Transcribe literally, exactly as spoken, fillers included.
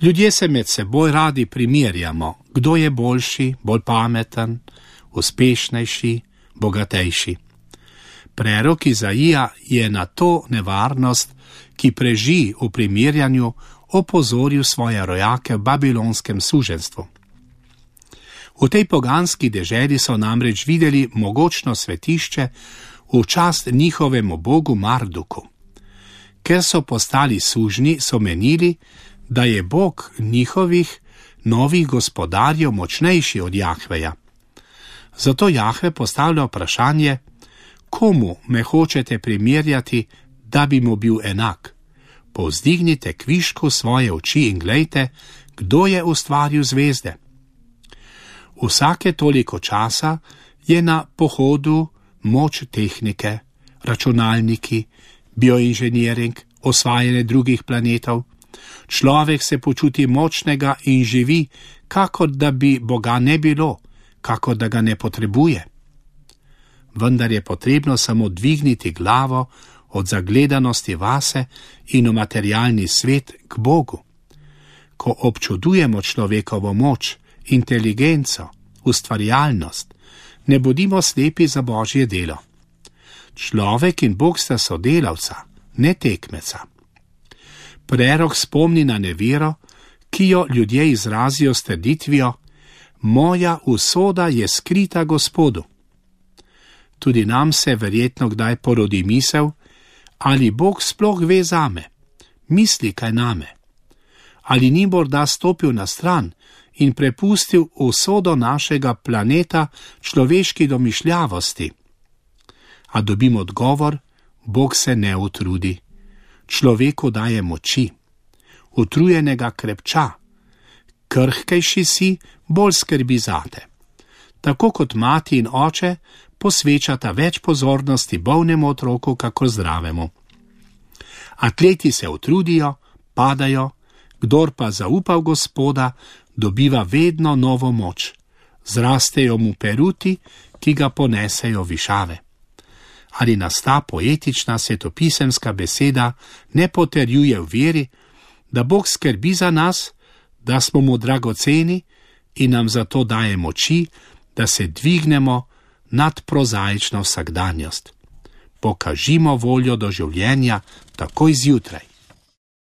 Ljudje se med seboj radi primerjamo, kdo je boljši, bolj pameten, uspešnejši, bogatejši. Prerok Izaija je na to nevarnost, ki preži v primerjanju, opozoril svoje rojake v babilonskem suženstvu. V tej poganski deželi so namreč videli mogočno svetišče v čast njihovemu bogu Marduku. Ker so postali sužnji, so menili, da je bog njihovih novih gospodarjev močnejši od Jahveja. Zato Jahve postavlja vprašanje, komu me hočete primerjati, da bi mu bil enak? Povzdignite kvišku svoje oči in glejte, kdo je ustvaril zvezde. Vsake toliko časa je na pohodu moč tehnike, računalniki, bioinženiring, osvajanje drugih planetov. Človek se počuti močnega in živi, kakor da bi Boga ne bilo, kakor da ga ne potrebuje. Vendar je potrebno samo dvigniti glavo od zagledanosti vase in v materialni svet k Bogu. Ko občudujemo človekovo moč, inteligenco, ustvarjalnost, ne bodimo slepi za Božje delo. Človek in Bog sta sodelavca, ne tekmeca. Prerok spomni na nevero, ki jo ljudje izrazijo s trditvijo: moja usoda je skrita Gospodu. Tudi nam se verjetno kdaj porodi misel, ali Bog sploh ve zame, misli kaj name. Ali ni morda stopil na stran in prepustil usodo našega planeta človeški domišljavosti? A dobim odgovor, Bog se ne utrudi. Človeku daje moči, utrujenega krepča, krhkejši si, bolj skrbi zate. Tako kot mati in oče posvečata več pozornosti bolnemu otroku, kakor zdravemu. Atleti se utrudijo, padajo, kdor pa zaupa v Gospoda, dobiva vedno novo moč. Zrastejo mu peruti, ki ga ponesejo višave. Ali nas ta poetična svetopisemska beseda ne potrjuje v veri, da Bog skrbi za nas, da smo mu dragoceni in nam zato daje moči, da se dvignemo nad prozaično vsakdanjost. Pokažimo voljo do življenja takoj zjutraj.